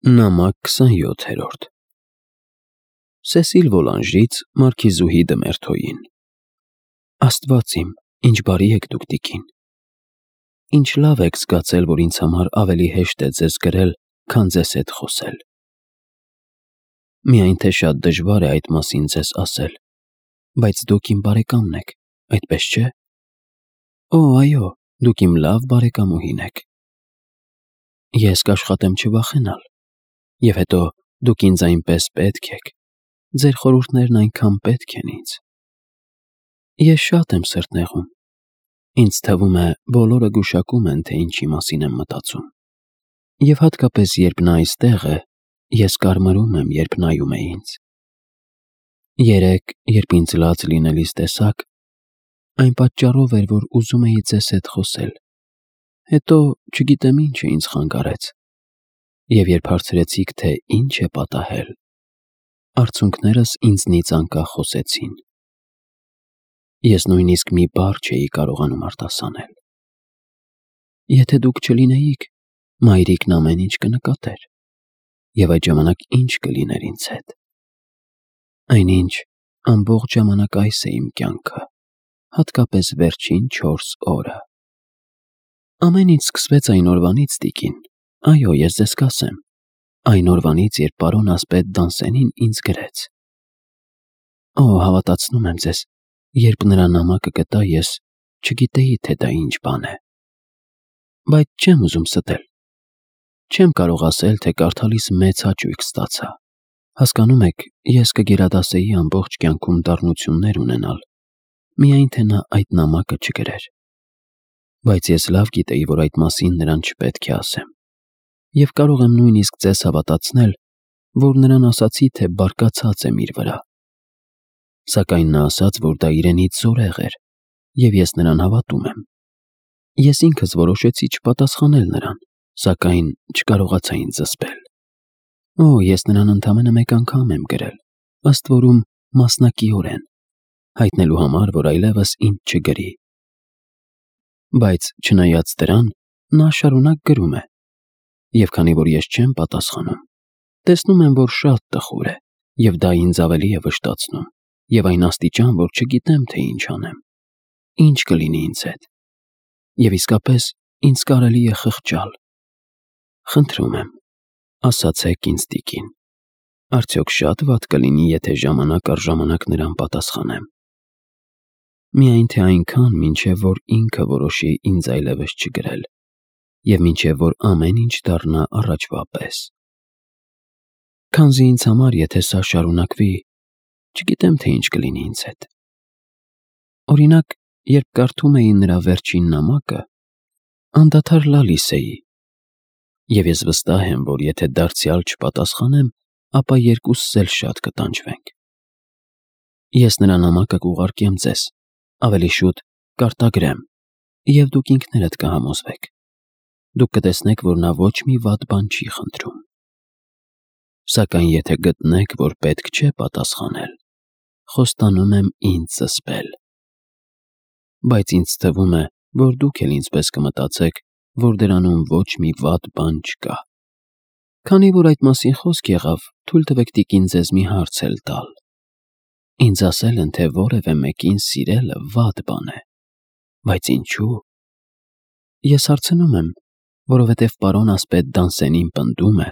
Նամակ 27-րդ Սեսիլ Վոլանժից Մարքիզուհի դը Մերթոյին։ Աստված իմ, ինչ բարի եք դուք տիկին։ Ինչ լավ եք զգացել, որ ինձ համար ավելի հեշտ է ձեզ գրել, քան ձեզ հետ խոսել։ Միայն թե շատ դժվար է այդ մասին ձեզ ասել, բայց դուք իմ բարեկամն եք, այդպես չէ՞։ Օ, այո, դուք իմ լավ բարեկամուհին եք։ Ես կաշխատեմ չվախենալ։ Եվ հետո դուք ինձ այնպես պետք եք, ձեր խորհուրդներն այնքան պետք են ինձ։ Ես շատ եմ սրտնեղում։ Ինձ թվում է, բոլորը գուշակում են, թե ինչի մասին եմ մտածում։ Եվ հատկապես, երբ նա այստեղ է, ես կարմրում եմ, երբ նայում է ինձ։ Երեկ, երբ ինձ լաց լինելիս տեսաք, այն պատճառով էր, որ ուզում էի ձեզ հետ խոսել։ Հետո չգիտեմ ինչը ինձ խանգարեց։ Եվ երբ հարցրեցիք, թե ինչ է պատահել, արցունքներս ինձնից անկախ խոսեցին։ Ես նույնիսկ մի բառ չէի կարողանում արտասանել։ Եթե դուք չլինեիք, մայրիկն ամեն ինչ կնկատեր։ Եվ այդ ժամանակ ինչ կլիներ ինձ հետ։ Այնինչ ամբողջ ժամանակ այս է իմ կյանքը, հատկապես վերջին 4 օրը։ Ամեն ինչ սկսվեց այն օրվանից, տիկին։ Այո, ես ձեզ կասեմ, այն օրվանից, երբ պարոն ասպետ Դանսենին ինձ գրեց։ Օ, հավատացնում եմ ձեզ, երբ նրա նամակը գտա, ես չգիտեի, թե դա ինչ բան է։ Բայց չեմ ուզում ստել։ Չեմ կարող ասել, թե կարդալիս մեծ հաճույք ստացա։ Հասկանում եք, ես կգերադասեի ամբողջ կյանքում դառնություններ ունենալ, միայն թե նա այդ նամակը չգրեր։ Բայց ես լավ գիտեի, որ այդ մասին նրան չպետք է ասեմ։ Եվ կարող եմ նույնիսկ ձեզ հավատացնել, որ նրան ասացի, թե բարկացած եմ իր վրա։ Սակայն նա ասաց, որ դա իրենից զորեղ էր, և ես նրան հավատում եմ։ Ես ինքս որոշեցի չպատասխանել նրան, սակայն չկարողացա ինձ զսպել։ Օ, ես նրան ընդամենը մեկ անգամ եմ գրել, ըստ որում մասնակիորեն, հայտնելու համար, որ այլևս ինձ չգրի։ Բայց չնայած դրան, նա շարունակ գրում է։ Եվ քանի որ ես չեմ պատասխանում, տեսնում եմ, որ շատ տխուր է, և դա ինձ ավելի է վշտացնում, և այն աստիճան, որ չգիտեմ, թե ինչ անեմ, ինչ կլինի ինձ հետ։ Եվ իսկապես ինձ կարելի է խղճալ։ Խնդրում եմ, ասացեք ինձ, տիկին, արդյոք շատ վատ կլինի, եթե ժամանակ առ ժամանակ նրան պատասխանեմ։ Միայն թե այնքան, մինչև որ ինքը որոշի ինձ այլևս չգրել, և մինչև որ ամեն ինչ դառնա առաջվա պես։ Քանզի ինձ համար, եթե սա շարունակվի, չգիտեմ, թե ինչ կլինի ինձ հետ։ Օրինակ, երբ կարդում էի նրա վերջին նամակը, անդադար լալիս էի, և ես վստահ եմ, որ եթե դարձյալ չպատասխանեմ, ապա երկուսս էլ շատ կտանջվենք։ Ես նրա նամակը կուղարկեմ ձեզ, ավելի շուտ կարտագրեմ, և դուք ինքներդ կհամոզվեք։ Դուք կտեսնեք, որ նա ոչ մի վատ բան չի խնդրում։ Սակայն եթե գտնեք, որ պետք չէ պատասխանել, խոստանում եմ ինձ զսպել։ Բայց ինձ թվում է, որ դուք էլ ինձպես կմտածեք, որ դրանում ոչ մի վատ բան չկա։ Քանի որ այդ մասին խոսք եղավ, թույլ տվեք տիկին ձեզ մի հարց էլ տալ։ Ինձ ասել են, թե որևէ մեկին սիրելը վատ բան է։ Բայց ինչու՞։ Ես հարցնում եմ, որովհետև պարոն ասպետ Դանսենին պնդում է,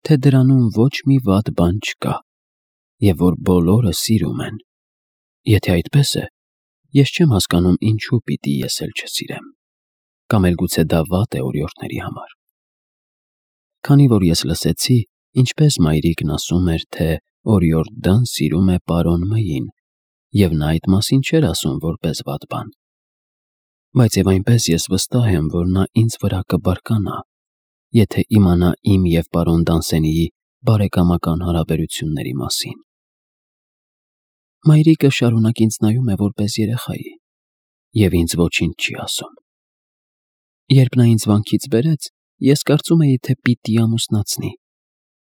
թե դրանում ոչ մի վատ բան չկա, և որ բոլորը սիրում են։ Եթե այդպես է, ես չեմ հասկանում ինչու պիտի ես էլ չսիրեմ։ Կամ էլ գուցե դա վատ է օրիորդների համար։ Քանի որ ես լսեցի, ինչպես մայրիկն ասում էր, թե օրիորդ Դան սիրում է պարոն Մ-ին, և նա այդ մասին չէր ասում որպես վատ բան։ Բայց և այնպես ես վստահ եմ, որ նա ինձ վրա կբարկանա, եթե իմանա իմ և պարոն Դանսենիի բարեկամական հարաբերությունների մասին։ Մայրիկը շարունակ ինձ նայում է որպես երեխայի, և ինձ ոչինչ չի ասում։ Երբ նա ինձ վանքից բերեց, ես կարծում էի, թե պիտի ամուսնացնի,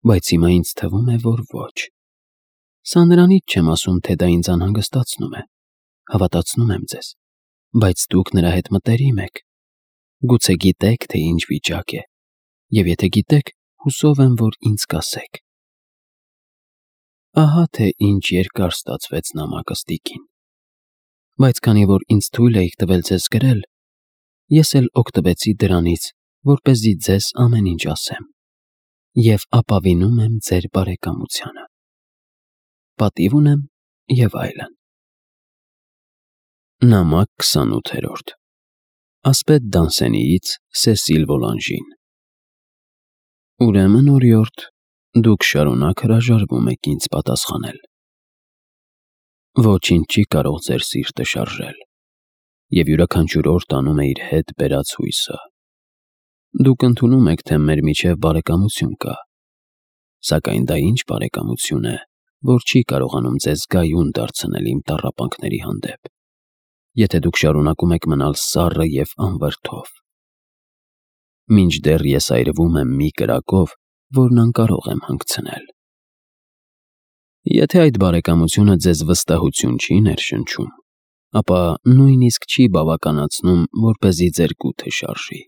բայց հիմա ինձ թվում է, որ ոչ։ Սա նրանից չեմ ասում, թե դա ինձ անհանգստացնում է, հավատացնում եմ ձեզ, բայց դուք նրա հետ մտերիմ եք։ Գուցե գիտեք, թե ինչ վիճակ է, և եթե գիտեք, հուսով եմ, որ ինձ կասեք։ Ահա թե ինչ երկար ստացվեց նամակը ստիկին։ Բայց քանի որ ինձ թույլ էիք տվել ձեզ գրել, ես էլ օգտվեցի դրանից, որպեսզի ձեզ ամեն ինչ ասեմ, և ապավինում եմ ձեր բարեկամությանը։ Պատիվ ունեմ և այլն։ Նամակ 28-րդ Ասպետ Դանսենիից Սեսիլ Վոլանժին։ Ուրեմն, օրիորդ, դուք շարունակ հրաժարվում եք ինձ պատասխանել։ Ոչինչ չի կարող ձեր սիրտը շարժել, և յուրաքանչյուր օր տանում է իր հետ բերած հույսը։ Դուք ընդունում եք, թե մեր միջև բարեկամություն կա, սակայն դա ինչ բարեկամություն է, որ չի կարողանում ձեզ գայուն դարձնել իմ տառապանքների հանդեպ, եթե դուք շարունակում եք մնալ սառը և անվրդով։ Մինչդեռ ես այրվում եմ մի կրակով, որն անկարող եմ հանգցնել։ Եթե այդ բարեկամությունը ձեզ վստահություն չի ներշնչում, ապա նույնիսկ չի բավականացնում, որպեսզի ձեր կութը շարժի։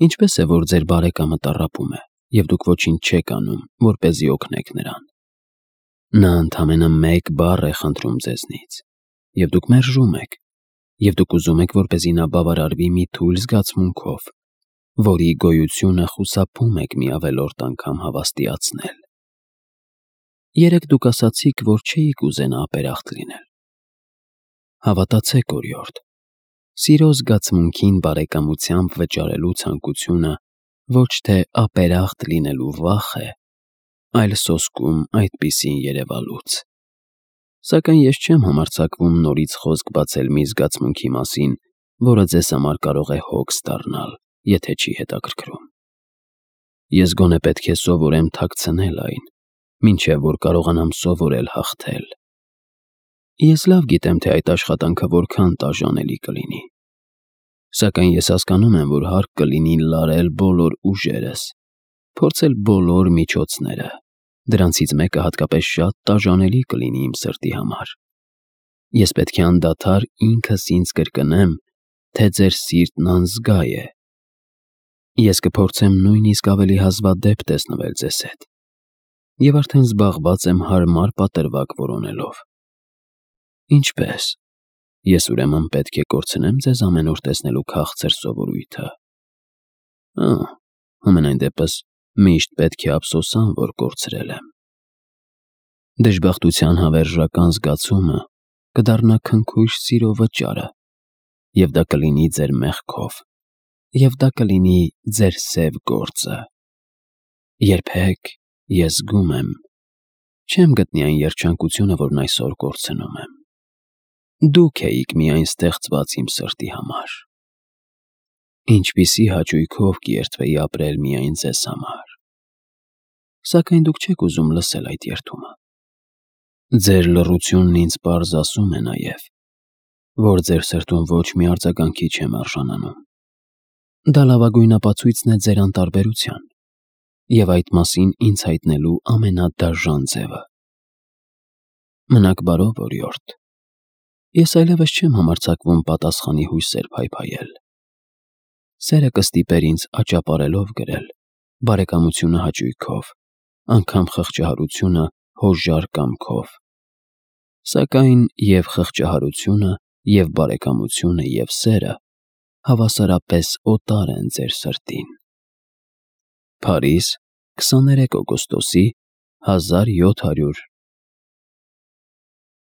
Ինչպես է, որ ձեր բարեկամը տառապում է, և դուք ոչինչ չեք անում, որպեսզի օգնեք նրան։ Նա ընդամենը մեկ բառ է խնդրում ձեզնից, և դուք մերժում եք, և դուք ուզում եք, որպեսզի նա բավարարվի մի թույլ զգացմունքով, որի գոյությունը խուսափում եք մի ավելորդ անգամ հավաստիացնել։ Երեկ դուք ասացիք, որ չէիք ուզենա ապերախտ լինել։ Հավատացեք, օրիորդ, սիրո զգացմունքին բարեկամությամբ վճարելու ցանկությունը ոչ թե ապերախտ լինելու վախ է, այլ սոսկում այդպիսին երևալուց։ Սակայն ես չեմ համարձակվում նորից խոսք բացել մի զգացմունքի մասին, որը ձեզ համար կարող է հոգս դառնալ, եթե չի հետաքրքրում։ Ես գոնե պետք է սովորեմ թաքցնել այն, մինչև որ կարողանամ սովորել հաղթել։ Ես լավ գիտեմ, թե այդ աշխատանքը որքան տաժանելի կլինի։ Սակայն ես հասկանում եմ, որ հարկ կլինի լարել բոլոր ուժերս, փորձել բոլոր միջոցները, դրանցից մեկը հատկապես շատ տաժանելի կլինի իմ սրտի համար։ Ես պետք է անդադար ինքս ինձ կրկնեմ, թե ձեր սիրտն անզգա է։ Ես կփորձեմ նույնիսկ ավելի հազվադեպ տեսնվել ձեզ հետ, և արդեն զբաղված եմ հարմար պատրվակ որոնելով։ Ինչպե՞ս։ Ես ուրեմն պետք է կորցնեմ ձեզ ամեն օր տեսնելու քաղցր սովորույթը։ Համենայն դեպս միշտ պետք է ափսոսամ, որ կորցրել եմ։ Դժբախտության հավերժական զգացումը կդառնա քնքույր սիրո վճարը, և դա կլինի ձեր մեղքով, և դա կլինի ձեր սև գործը։ Երբեք, ես զգում եմ, չեմ գտնի այն երջանկությունը, որն այսօր կորցնում եմ։ Դուք էիք միայն ստեղծված իմ սրտի համար։ Ինչպիսի հաճույքով կերթվեի ապրել միայն ձեզ համար։ Սակայն դուք չեք ուզում լսել այդ երդումը։ Ձեր լռությունն ինձ պարզ ասում է նաև, որ ձեր սրտում ոչ մի արձագանքի չեմ արժանանում։ Դա լավագույն ապացույցն է ձեր անտարբերության, և այդ մասին ինձ հայտնելու ամենադաժան ձևը։ Մնաք բարով, օրիորդ։ Ես այլևս չեմ համարձակվում պատասխանի հույսեր փայփայել։ Սերը կստիպեր ինձ աճապարելով գրել, բարեկամությունը հաճույքով, անգամ խղճահարությունը հոժար կամքով։ Սակայն և խղճահարությունը, և բարեկամությունը, և սերը հավասարապես օտար են ձեր սրտին։ Փարիզ, 23 օգոստոսի 1700